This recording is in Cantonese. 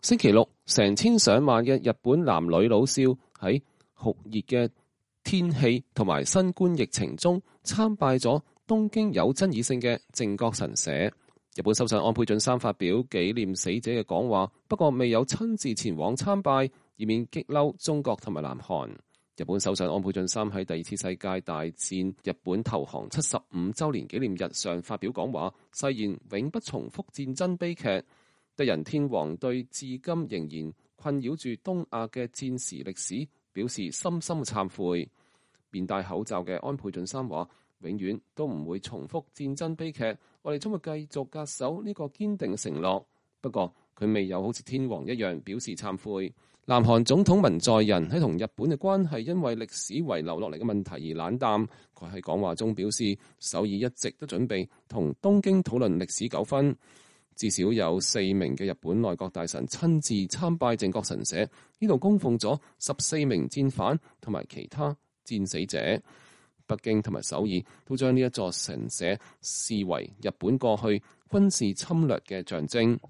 星期六，成千上萬嘅日本男女老少喺酷熱嘅天氣同埋新冠疫情中參拜咗東京有爭議性嘅靖國神社。日本首相安倍晉三發表紀念死者嘅講話，不過未有親自前往參拜，以免激嬲中國同埋南韓。日本首相安倍晉三喺第二次世界大戰日本投降75週年紀念日上發表講話，誓言永不重複戰爭悲劇。德仁天皇對至今仍然困擾住東亞嘅戰時歷史表示深深嘅懺悔。面戴口罩嘅安倍晉三話：永遠都唔會重複戰爭悲劇，我哋將會繼續恪守呢個堅定嘅承諾。不過佢未有好似天皇一樣表示懺悔。南韓總統文在寅喺同日本嘅關係因為歷史遺留落嚟嘅問題而冷淡。佢喺講話中表示，首爾一直都準備同東京討論歷史糾紛。至少有4名嘅日本內閣大臣親自參拜靖國神社，呢度供奉咗14名戰犯同埋其他戰死者。北京同埋首爾都將呢一座神社視為日本過去軍事侵略嘅象徵。